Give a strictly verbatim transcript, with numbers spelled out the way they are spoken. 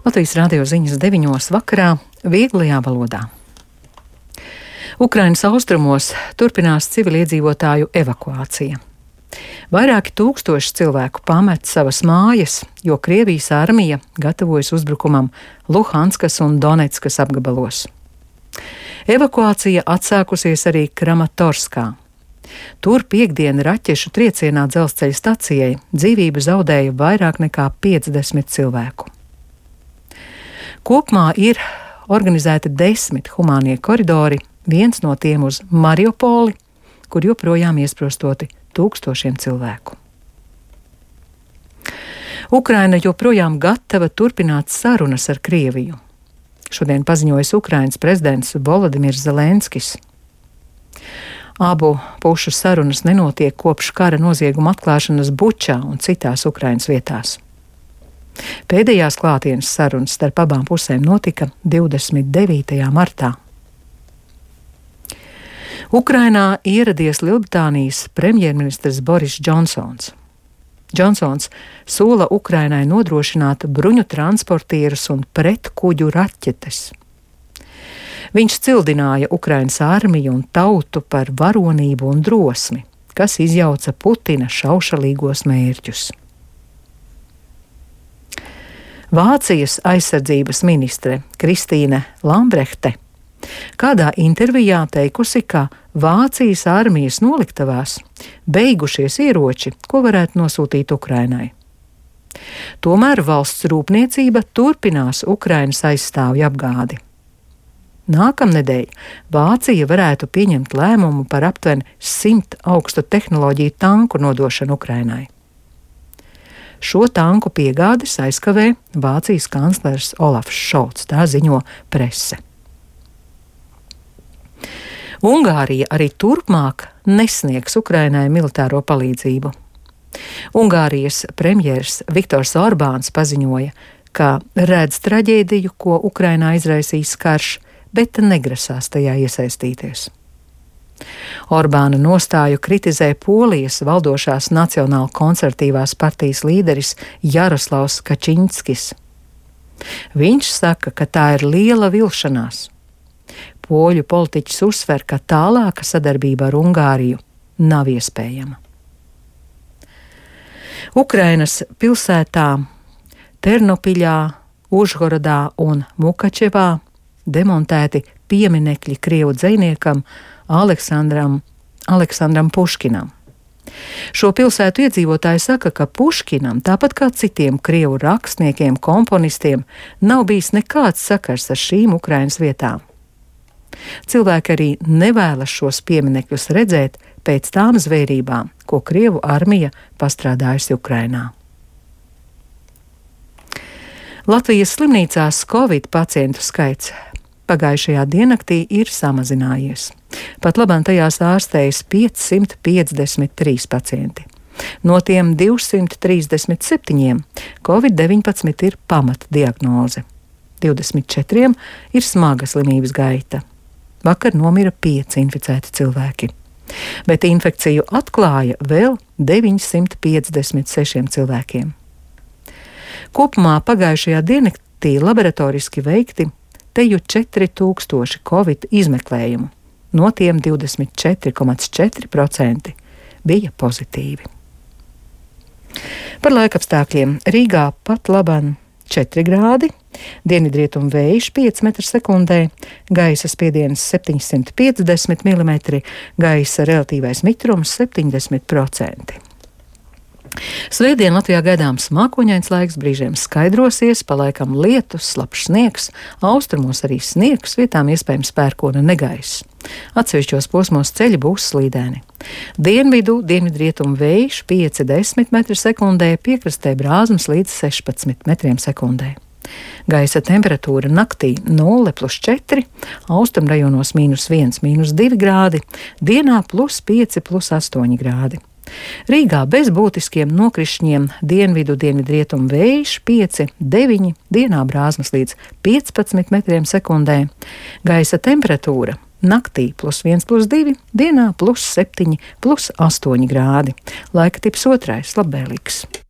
Latvijas radio ziņas deviņos vakarā vieglajā valodā. Ukrainas austrumos turpinās civiliedzīvotāju evakuācija. Vairāki tūkstoši cilvēku pamet savas mājas, jo Krievijas armija gatavojas uzbrukumam Luhanskas un Donetskas apgabalos. Evakuācija atsākusies arī Kramatorskā. Tur piekdien raķešu triecienā dzelzceļa stacijai dzīvību zaudēja vairāk nekā piecdesmit cilvēku. Kopumā ir organizēti desmit humānie koridori, viens no tiem uz Mariupoli, kur joprojām iesprostoti tūkstošiem cilvēku. Ukraina joprojām gatava turpināt sarunas ar Krieviju. Šodien paziņojis Ukrainas prezidents Volodimirs Zelenskis. Abu pušu sarunas nenotiek kopš kara nozieguma atklāšanas Bučā un citās Ukrainas vietās. Pēdējās klātienes sarunas starp abām pusēm notika divdesmit devītajā martā. Ukrainā ieradies Lielbritānijas premjerministrs Boris Džonsons. Džonsons sola Ukrainai nodrošināt bruņu transportierus un pretkuģu raķetes. Viņš cildināja Ukrainas armiju un tautu par varonību un drosmi, kas izjauca Putina šaušalīgos mērķus. Vācijas aizsardzības ministre Kristīne Lambrehte kādā intervijā teikusi, ka Vācijas armijas noliktavās beigušies ieroči, ko varētu nosūtīt Ukrainai. Tomēr valsts rūpniecība turpinās Ukrainas aizstāvju apgādi. Nākamnedēļ Vācija varētu pieņemt lēmumu par aptuveni simt augstu tehnoloģiju tanku nodošanu Ukrainai. Šo tanku piegādes aizkavē Vācijas kanclers Olafs Šolts, tā ziņo prese. Ungārija arī turpmāk nesniegs Ukrainai militāro palīdzību. Ungārijas premjers Viktors Orbāns paziņoja, ka redz traģēdiju, ko Ukrainā izraisīs karš, bet negrasās tajā iesaistīties. Orbāna nostāju kritizē Polijas valdošās Nacionāla konservatīvās partijas līderis Jaroslavs Kačinskis. Viņš saka, ka tā ir liela vilšanās. Poļu politiķis uzsver, ka tālāka sadarbība ar Ungāriju nav iespējama. Ukrainas pilsētā Ternopiļā, Užhorodā un Mukačevā demontēti pieminekļi krievu dzejniekam Aleksandram, Aleksandram Puškinam. Šo pilsētu iedzīvotāji saka, ka Puškinam, tāpat kā citiem krievu rakstniekiem, komponistiem, nav bijis nekāds sakars ar šīm Ukrainas vietām. Cilvēki arī nevēlas šos pieminekļus redzēt pēc tām zvērībām, ko krievu armija pastrādājusi Ukrainā. Latvijas slimnīcās Covid pacientu skaits pagājušajā diennaktī ir samazinājies. Pat labāk tajās ārstējas piecsimt piecdesmit trīs pacienti. No tiem divsimt trīsdesmit septiņiem Covid deviņpadsmit ir pamatdiagnoze. divdesmit četriem ir smaga slimības gaita. Vakar nomira pieci inficēti cilvēki, bet infekciju atklāja vēl deviņsimt piecdesmit sešiem cilvēkiem. Kopumā pagājušajā diennaktī laboratoriski veikti teju četri tūkstoši Covid izmeklējumu, no tiem divdesmit četri komats četri procenti bija pozitīvi. Par laikapstākļiem Rīgā pat laban četri grādi, dienvidrietumu vējš pieci metri sekundē, gaisa spiediens septiņsimt piecdesmit milimetri, gaisa relatīvais mitrums septiņdesmit procenti. Svētdien Latvijā gaidāms mākoņains laiks, brīžiem skaidrosies, pa laikam lietus, slapjš sniegs, austrumos arī sniegs, vietām iespējams pērkona negaiss. Atsevišķos posmos ceļi būs slīdēni. Dienvidu, dienvidrietumu vējš pieci līdz desmit metri sekundē, piekrastē brāzmas līdz sešpadsmit metriem sekundē. Gaisa temperatūra naktī nulle plus četri, austrumrajonos mīnus viens, mīnus divi grādi, dienā plus pieci, plus astoņi grādi. Rīgā bez būtiskiem nokrišņiem dienvidu dienvidrietumu vējš pieci, deviņi, dienā brāzmas līdz piecpadsmit metriem sekundē. Gaisa temperatūra naktī plus viens, plus divi, dienā plus septiņi, plus astoņi grādi. Laika tips otrais, labvēlīgs.